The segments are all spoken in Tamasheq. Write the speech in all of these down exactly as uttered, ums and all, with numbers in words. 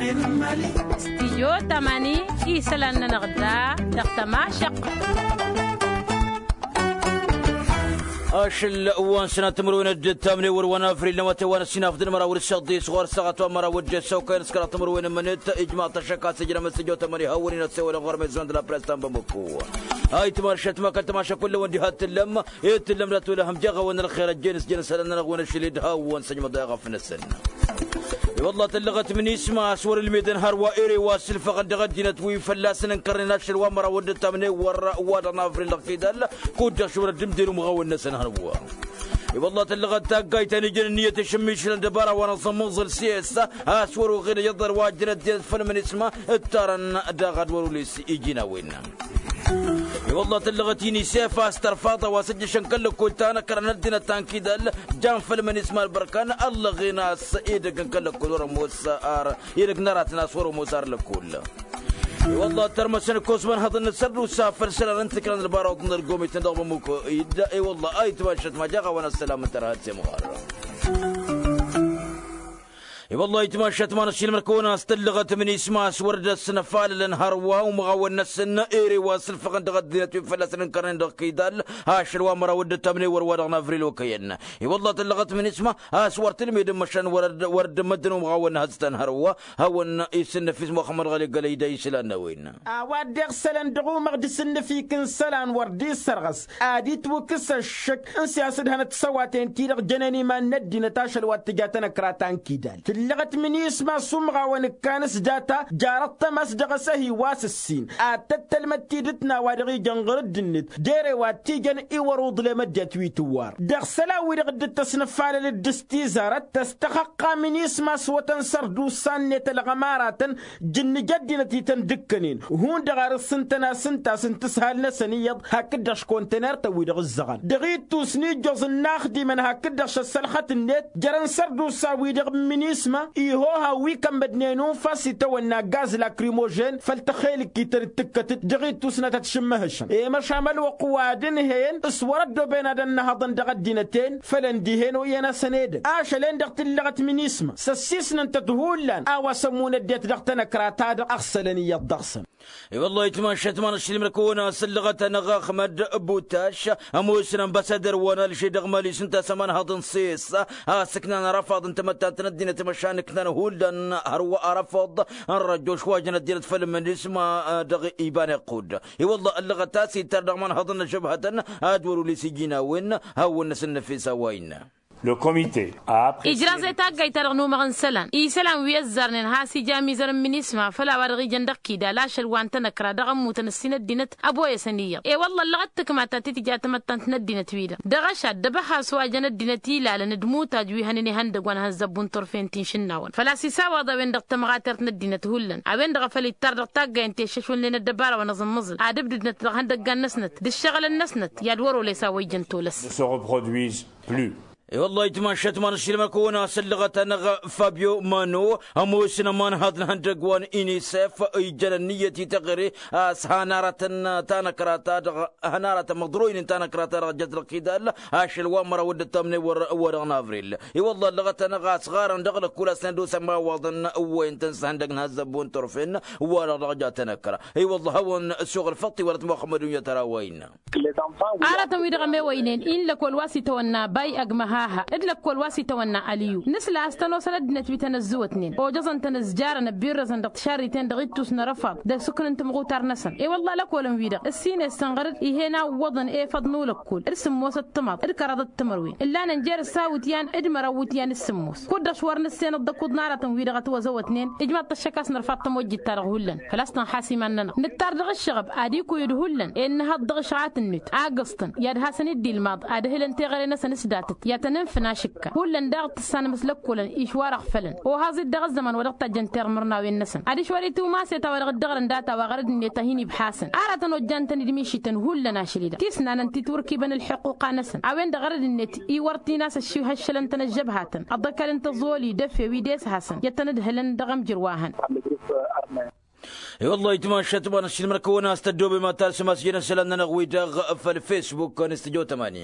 Stijyo tamani isălan-nănăɣ da dăɣ-tămašăqq. Ašăl wa n-sănat timǝrwen d-tamne wăr wa n-avril n-awătay wa n-ăssinaf d-inmăraw d-săḍis ɣur-săɣăt wa n-măraw d-ăssăwkăyăn s-kăraḍ timǝrwen n-imǝnǝt ijmaḍ-t ăššăk a-s ǝjrăm s-tijjo tamani hawăn-in ăssewălăn ɣur-mezon d-la press ta n-bamăko. Ayǝtmašăt ma kăl-tămašăk kull-awăn diha t-tǝllăm. Ed tǝllăm dat-wăla hăm jeɣ-awăn ălxer ăjjeen s-jăn isălan-nănăɣ wen ašăl-i d-hawăn săjmăḍ a iɣăf-năsăn. I-wălla tǝllăɣăt minisma a-s wăr-ǝlmedăn hărwa ere wa s-ǝlfăɣăn dăɣ-ăddinăt wi fălla-săn ǝnkărnen ašăl wa n-măraw d-ǝttamne wăr-wa dăɣ-navril dăɣ-tidal. Kud-dăɣ šwăr ăddimden umɣawăn-năsăn hărwa. I-wălla tǝllăɣăt taggayt ta n-ijăn ǝnniyăt ašǝmmišǝlăn dăbara wa n-aẓǝmmăẓǝl s-e-s a-s wăr-uɣed ăjăḍăr wa ăjjăn ăddinăt făll-minisma. Ǝttarăn daɣ ad-wăr-ulis iji n-a-wen. I-wălla tǝllăɣăt inisef a-s tărfaḍ a-wa s-ǝjjăšăn kăl-lăkkol ta n-ăkrăn ăddinăt ta n-kidal. Jan făll-minisma ălbărkan ăllăɣen a-s edăgg n-kăl-lăkkol wăr-ămoos ar edăgg n-aratăn a-s wăr-ămoos ar lăkkol. I-wălla tărmăsăn ǝkkoẓ imanhăḍăn n-asărdusa făll-isălan n-tikrăn ălbaraw d-inălgomiten dăɣ-bămuko-dd. I-wălla a itmašăt ma jaɣ-a-wa n-ăssălam n-tărha d-semɣar. I-wălla a itmašăt ma n-ăššilmăr kăwăn-as tǝllăɣăt minisma a-s wăr dd-ăsnăfalălăn hărwa umɣawăn-năsăn ere wa s-ǝlfăɣăn dăɣ-ăddinăt wi fălla-săn ǝnkărnen dăɣ-kidal. Ašăl wa n-măraw dd-ăttamnen wăr-wa dăɣ-navril okăyăn. I-wălla tǝllăɣăt minisma a-s wăr tǝlmedăn măšan wăr dd-măddǝn umɣawăn n-hăztăn hărwa. Hawăn-isǝnnăf-i s-muxămmăd ɣăli gălăy d-a isǝlan n-a-wen. A-wa dd-iɣsălăn dăɣ-umăɣ d-isǝnnǝfik n-isălan wăr dd-issărɣăs ad-itwǝkkǝs ăššăk n-siyasăd hanăt-săwaten-ti-dăɣ jănen iman n-ăddinăt ašăl wa t-tǝja tanăkra ta n-kidal tǝllăɣăt minisma s-umɣawăn ǝkkan s-data. Jarăt tamast dăɣ-asăhi wa s-ǝssin ad-tăt-tălmăd tidǝt n-a-wa dăɣ-ijăn ɣur-ăddinăt d-ere wa t-ijăn i-wăr-uḍlem ăddinăt wi tǝwwar dăɣ-isălan-wi-dăɣ dd-tăsnăfalăl d-ǝstizarăt tăstăxăqqa minisma s-iwătăn sărdusa-net ălɣămaratăn. Jǝnnǝj ăddinăt ităn-dd-ǝkkănen hundăɣ ar ǝssǝntăn asǝntas n-tǝshal-năsăn iyyăḍ hakd-dăɣ-š kontener-tăn-wi-dăɣ ǝzzăɣăn dăɣ-ittus n-ijjoẓ n-inaxdimăn hakd-dăɣ-š ăssălxăt-net. Jărăn sărdusa-wi-dăɣ n-minisma ihoha wi kămmădnen unfas itawănna gaz lakrimožen făll-tăxelǝkkit ta dd-tǝkkătăt dăɣ-ittus n-ad-tăt-š ǝmmăhăšăn i-măšan ălwăqq wa d-ǝnhăyăn s-wăr-ăddoben ad-ănnăhăḍăn dăɣ-ăddinăt-en. Fălăn dihen oyyăn-asăn edăgg ašăl-en-dăɣ tǝllăɣăt minisma s-ăssisnăn-tăt hullan a-wa s-ămmun ăddinăt dăɣ-tanăkra-ta-dăɣ ăɣsălăn iyyăḍ dăɣ-săn. I-wăllah itmašat ma n-ašilmăr-kăwăn a-s ǝllăɣăt-anăɣ axmăd butas ămoosăn ănbăsădăr wa n-alže dăɣ-mali s-ǝnta s-ămanhăḍ n-ses a-s ǝknan arăfaḍ n-tamăttant n-ăddinăt măšan ǝknan hullan hărwa arăfaḍ n-răjjo šwajăn ăddinăt făll-minisma. Dăɣ-iban iqqud i-wăllah ǝllăɣăt a-s ittar dăɣ-imanhăḍ n-ažăbhătăn ad-wăr-ulis iji n-a-wen. Hawăn-năsăn năfes a-wa innă. Ijraẓ i-taggayt-ta-dăɣ n-umăɣ n-isălan isălan wi ăzzarnen has-ija amizăr n-minisma făll-a-wa dăɣ-ijăn dăɣ-kidal ašăl wa n-tanăkra dăɣ-ămmutăn ǝssin ăddinăt. Ăboyăsăn iyyăḍ i-wălla ăllăɣăt tǝkma ta t-tǝja tamăttant n-ăddinăt-wi-dăɣ dăɣ-ašad d-abăha s-wa jăn ăddinăt ilalăn d-imutaj wi hănen ihăndăgg wa n-ihănzăbbu n-turfen ti n-išǝnnawăn făl-a-s isawaḍ a-wen-dăɣ tămɣatert n-ăddinăt hullan a-wen-dăɣ a făl ittar dăɣ-taggay n-teššăšwălnen ăddăbara wa n-aẓǝmmăẓǝl ad-ǝbdǝdnăt dăɣ-ihăndăggan-năsnăt d-ǝššăɣǝlăn-năsnăt i-ad-wăr-olăy s-a-wa ijăn tolăs. I-wăllah itmašat ma n-ašilmăr-kăwăn a-s ǝllăɣăt-anăɣ fabio mano ămoosăn ămanhăḍ n-ihăndăgg wa n-inisef ijjăn ǝnniyăt i-teɣăre a-s han aratăn tanăkra-ta-dăɣ han aratăn măḍroynen tanăkra-ta-dăɣ jăt dăɣ-kidal. Ašăl wa n-măraw dd-ăttamnen wăr-wa dăɣ-navril. I-wăllah ǝllăɣăt-anăɣ a-s ɣarăn dăɣ-lăkkul a-s nădosăn imawaḍăn ǝwwăyăn-tăn s-ihăndăgg n-ihăzzăbbu n-turfen wa-dăɣ dăɣ-ja tanăkra. I-wăllah hawăn-suɣ ălfăṭṭ-i wăr-ătmăxxăm ad-unyăt ărawăyna. Aratăn-wi-dăɣ ămewăynen i-n lăkol wa s-itawănna bay ăgg măhaha d-lăkol wa s-itawănna ăliyu nǝsla a-s tănosăn ăddinăt wi tăn-ăzzǝwătnen ojăẓăn-tăn ǝzjarăn ăbbirrăzăn dăɣ-tišarriten dăɣ-ittus n-arăfaḍ d-asǝkn n-timɣutar-năsăn i-wăllah lăkolăn-wi-dăɣ ǝssin essăn ɣăr-dd ih'-en a ǝwwăḍăn efăḍ n-ulăkkol d-sǝmmos d-timaḍ d-kăraḍ d-timărwen ǝllanăn jer-ǝssa wǝtyan d-măraw wǝtyan d-sǝmmos kud-dăɣ š-wăr nǝssenăḍ d-ăkuḍ n-aratăn-wi-dăɣ ătwăzăwătnen. Ijmaḍ-t ăššăk a-s nărfa d-tămojjit-ta-dăɣ hullan făl-a-s tănxas iman-nănăɣ nǝttar dăɣ-ǝššăɣăb ad-ikwǝyǝd hullan i-ănnăhăḍ dăɣ-ǝšɣat-net a gǝẓtăn i-ad-hasăn-dd-ilmaḍ ad-ǝhǝlăn teɣăre-năsăn s-datăt i-ad-tăn-ǝnfǝn ašǝkka hullan daɣ tǝssanăm s-lăkkolăn išwar ăɣfălăn ohaẓ-dd dăɣ-ăzzăman wa dăɣ-tajjăn termărnawen-năsăn adiš wăr-itumas i-ta-wa-dăɣ dd-ăɣrǝn data-wa ɣărăd-net a hin-ibhasăn aratăn ojjan-tăn-dd mišităn hullan ašăl-i-dăɣ tisnanăn ti turkibăn ălḥuqquqa-năsăn a-wen-dăɣ ɣărăd-net iwăr tinas ăššihăššălăn-tăn ăžžăbhatăn ăḍăkăl n-tăẓoli d-efew-i d-eshasăn i-ad-tăn-ǝdhǝlăn dăɣ-amjǝr wa hăn. I-wăllah itmašat ma n-ašilmăr-kăwăn a-s tăddoobem ad-talsăm a-s ijăn isălan-nănăɣ-wi-dăɣ făll-fesbuk n-studio tămani.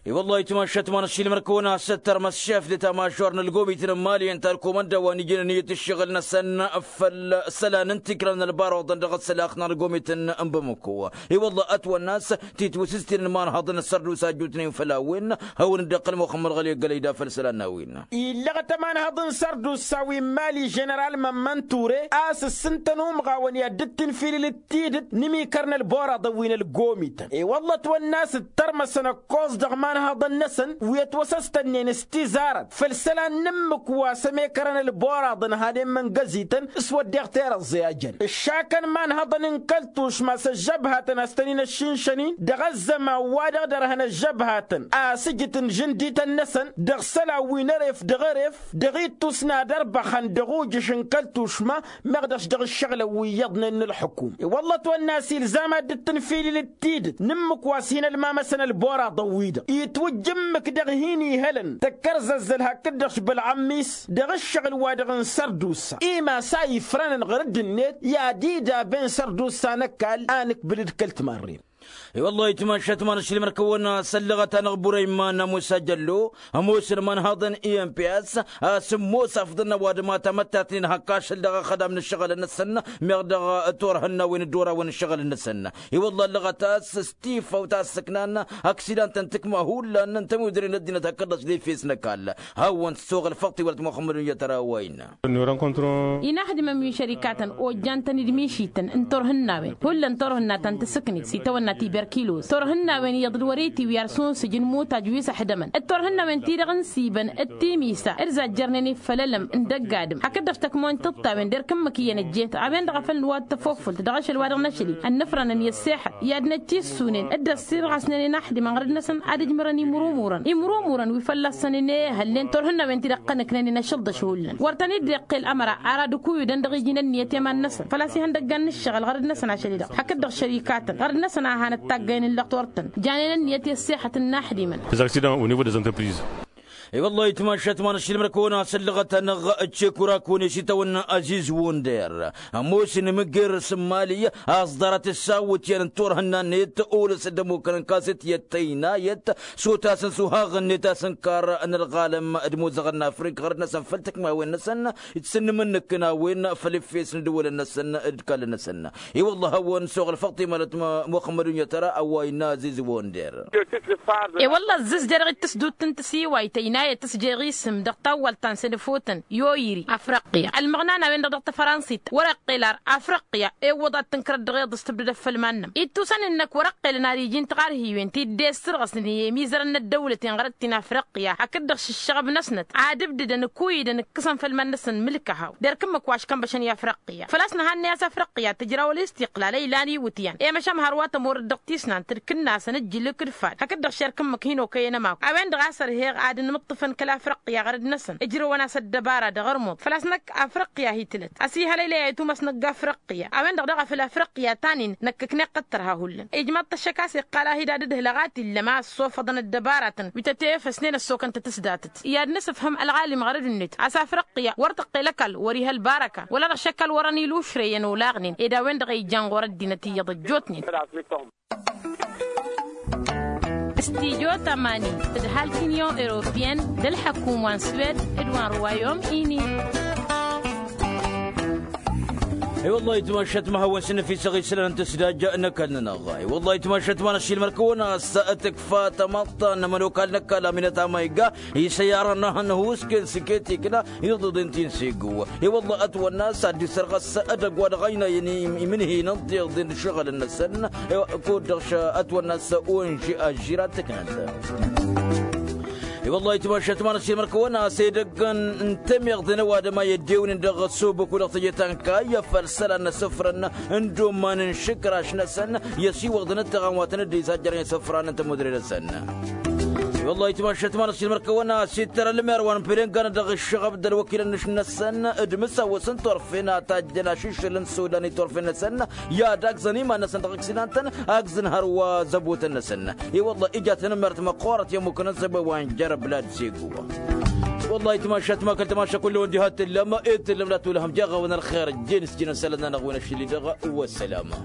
I-wăllah itmašat ma n-ašilmăr-kăwăn a-s ăttărmăs šef de tamažor n-ălgomit n-mali ǝnta ălkumănda wa n-ijnăn iyyăt ǝššăɣǝl-năsăn făll-isălan n-tikrăn n-ălbaraḍăn dăɣ-ăssălax n-ălgomit n-bamăko. I-wăllah ătwănna a-s titwǝsǝstǝn n-imanhăḍăn n-sărdusa jutnen făll-a-wen hawăn-dd-iqqăl muxămmăd ɣăli ăggălăy da făll-isălan n-a-wen. Illăɣ-t ămanhăḍ n-sărdusa wi n-mali ženeral mămmăn ture a-s ǝssǝntăn umɣawăn i-ad-dd-tǝnfilǝl d-tidǝt n-imikăr n-ălboraḍăn wi n-ălgomităn i-wălla ătwănna a-s ǝttărmăsăn ăkkoẓ dăɣ-imanhăḍăn-năsăn wi ătwăsăstănnen s-tizarăt făll-isălan n-ǝmmǝk wa s-ămekărăn ălboraḍăn han immǝngăzităn s-wădden tirăẓẓe a jăn ǝššakăn imanhăḍăn n-kăl-tušma s-ăžžăbhatăn a-s tăn-in-ăššinšăn-in dăɣ-ăzzăman wa dăɣ-dărhăn ăžžăbhatăn a-s ǝjǝt n-žǝndităn-năsăn dăɣ-isălan wi n-eref dăɣ-eref dăɣ-ittusna d-ărbăxăn dăɣ-ujǝš n-kăl-tušma meɣ dăɣ-s dăɣ-ǝššăɣǝlăn wi iyyăḍnen n-ǝlxǝkum i-wălla ătwănna a-s ilzam ad-dd-tǝnfilǝl d-tidǝt n-ǝmmǝk wa s-hin-ălmamăsăn ălboraḍăn-wi-dăɣ itwǝjj ǝmmǝk dăɣ-hin-ihălăn tăkkărzăzzăl hakd-dăɣ-s bălɣămmis dăɣ-ǝššăɣǝl-wa-dăɣ n-sărdusa imas a ifrănăn ɣur-dd-net i-ad-idaben sărdusa n-ăkall a nǝkbǝl d-kăl-timarren. I-wăllah itmašat ma n-ašilmăr-kăwăn a-s ăllăɣăt-anăɣ burăyman ămoos ajăllo ămoosăn imanhăḍăn i-n p s a-s ămoos afḍăn ăwadǝm a tamăttatnen hak ašăl dăɣ-ixădam n-ǝššăɣǝl-năsăn meɣ dăɣ-turhǝnnawen d-orawen n-ǝššăɣǝl-năsăn. I-wăllah ăllăɣăt a-s s-tifăw ta ăssăknan aksidantăn tǝkma hullan n-tămudre n-ăddinăt hakd-dăɣ s-defes n-ăkall hawăn-t soɣ ălfăṭṭ iwălăt muxămmăd n-iyyăt ara a-wa innă. Inaxdimăn wi n-šărikatăn ojjan-tăn-dd mišităn n-turhǝnnawen hullan turhǝnna ta n-tasǝknit s-itawănna tiberkilos turhǝnnawen iyyăḍ d-wăr-itiwǝy arsǝnsǝj n-imutaj wi s-ăḥdămăn d-turhǝnnawen-ti-dăɣ n-sibăn d-timisa d-zajjărnen i-făll-ălăm n-dăgg-adǝm hakd-dăɣ tăkmon tiṭṭawen d-erk ǝmmǝk iyyăn ăjjeet a-wen-dăɣ a făl nǝwat tăfofult dăɣ-ašăl wa dăɣ-năšli ănnăfrănăn i-ăssexăt i-ad-năcc issunen d-ăssirɣasnen inaxdimăn ɣărăt-năsăn ad-ǝjmărăn imrumurăn imrumurăn wi fălla-săn inehălnen turhǝnnawen-ti-dăɣ tăn-ǝknănen ašăl dăɣ-šuhullăn wăr tăn-dd-iqqel ămăra ar ad-ǝkuyǝdăn dăɣ-iji n-ǝnniyăt i-iman-năsăn făl-a-s ihăndăggan n-ǝššăɣǝl ɣărăt-năsăn ašăl-i-dăɣ hakd-dăɣ šărikatăn ɣărăt-năsăn a hanăt-taggăyăn ǝllăɣ tortăn janen ǝnniyăt i-ăssexăt n-inaxdimăn. Des accidents au niveau des entreprises. I-wăllah itmašat ma n-ašilmăr-kăwăn a-s ǝllăɣăt-anăɣ d-cekurak-wăn i-s itawănna aziz wonder ămoosăn imǝgger s-mali a-s ḍarăt ǝssawǝt i-ad-ǝnturhǝnna-net olăs d-ămukăn n-kaset i-ad-tăynayăt s-otasăn s-uhaɣ-net a-s ǝnkar n-ălɣalăm d-imuzăɣăn n-afrik ɣărăt-năsăn făll-tǝkmawen-năsăn d-sǝnnǝm n-inǝkkǝn a-wen făll-efes n-idǝwălăn-năsăn d-ikallăn-năsăn. I-wăllah hawăn-soɣ ălfăṭṭ imalăt muxămmăd unyăt ara a-wa innă aziz wonder. E-wălla ăzzǝzja dăɣ-itǝsdut n-tisiwayt ăynayăt s-jeɣ isǝm dăɣ-tawwalt ta n-sănăfotăn i-oyri afriqya ălmăɣna n-a-wen-dăɣ dăɣ-tafrănsit wăr-iqqel ar afriqya ewwăḍ ad-tǝnkărăt dăɣ-iḍǝs tǝbdǝd ăffăl iman-nămăr ittusăn-in-năk wăr-iqqelăn ar iji n-tiɣarhiwen ti dd-essărɣăsnen i-emizărăn n-ăddăwlăten ɣărăt-ti n-afriqya hakd-dăɣ šǝššăɣăb-năsnăt ad-ǝbdǝdăn ǝkuyǝdăn ǝkkǝsăn făll-iman-năsăn mǝlk ăhaw d-erk ǝmmǝk wa ăškănbăšăn i-afriqya făl-a-s nǝhannăy a-s afriqya tǝjraw ălistiqlal ăylan iwǝtyan i-măšăm hărwa tămorăt dăɣ-tisnant d-kǝnnasăn ǝjjǝlǝk d-fad hakd-dăɣ šerk ǝmmǝk hin-okăyăn ămaku a-wen-dăɣ a-s ărheɣ ad-ănmǝṭṭǝfăn kăl-afriqya ɣărăt-năsăn ǝjrăwăn-as ăddăbara dăɣ-ărmuḍ făl-a-s năkk afriqya hi-tǝlăt ăsihălăylăy a itumăsnăgg afriqya a-wen-dăɣ daɣ a făl afriqya ta-nin năkk ǝkneɣ-t tărha hullan ijmaḍ-t ăššăk a-s iqqal a hi-dd-ad-ǝdhǝlăɣ a t-illăm a ăssofăḍăn ăddăbaratăn wi tătefăsnen ăssokăn-tăt s-datăt i-ad-nǝsǝfhǝm ălɣalim ɣărăd-net a-s afriqya wăr tăqqel ăkall wăr-iha ălbarăka wăla dăɣ-šăkk a-l wărăn ilušrăyăn olaɣnen ed a-wen-dăɣ a ijan ɣur-ăddinăt iyyăḍ ăjjootnen. Studyo tămani tǝdhalt unyon europeyăn d-ălḥăkum wa n-swed d-wa n-ruwayom ini. I-wăllah itmašat ma hawăn-săn ăfisăɣ isălan n-tǝsdaj n-ăkall-nănăɣ. I-wăllah itmašat ma n-ašilmăr-kăwăn a-s tǝkfa tămaḍt n-ămănokal n-ăkall aminăt amayga isăyarăn n-ahăn husken s-iket ikna iḍǝḍen ti n-segu. I-wăllah ătwănna a-s ad-dd-isărɣăs edăgg wa dăɣ-ăynayăn imǝnhǝyăn n-tiḍen d-ašăɣǝl-năsăn. Kud-dăɣ ătwănna a-s onži ažžir ad-tǝknăt. I-wăllah itmašat ma n-ašilmăr-kăwăn a-s edăgg n-temeḍe n-ăwadǝm a i-ăddewnen dăɣ-ăssubăku dăɣ-teje ta n-kayya făll-isălan n-asǝfrăn n-dd-umman n-išǝkraš-năsăn i-ăsiwăḍăn d-taɣanwatăn dd-izajjărăn isăfran n-tămudre-năsăn. I-wăllah itmašat ma n-ašilmăr-kăwăn a-s ittăr ălmer wa n-pălengan dăɣ-ǝššăɣăb d-ălwăkilăn-năsăn d-imǝsawăs n-turfen a tajjăn ašǝššǝl n-sudan i-turfen-năsăn i-ad-agzăn iman-năsăn dăɣ-ǝksinantăn agzăn hărwa zăbotăn-năsăn. I-wăllah ija tanămmert măqqoorăt i-ămmukăn ăzzăbăy wa n-jer-ăblad segu. Wăllah itmašat ma kăl-tamaša kull-wăn diha t-tǝllăm i-tǝllăm la tulăhăm jeɣ-awăn ălxer ǝjjen s-jin ănsalăt-nănăɣ wi n-ašli-dăɣ. Wăssalama.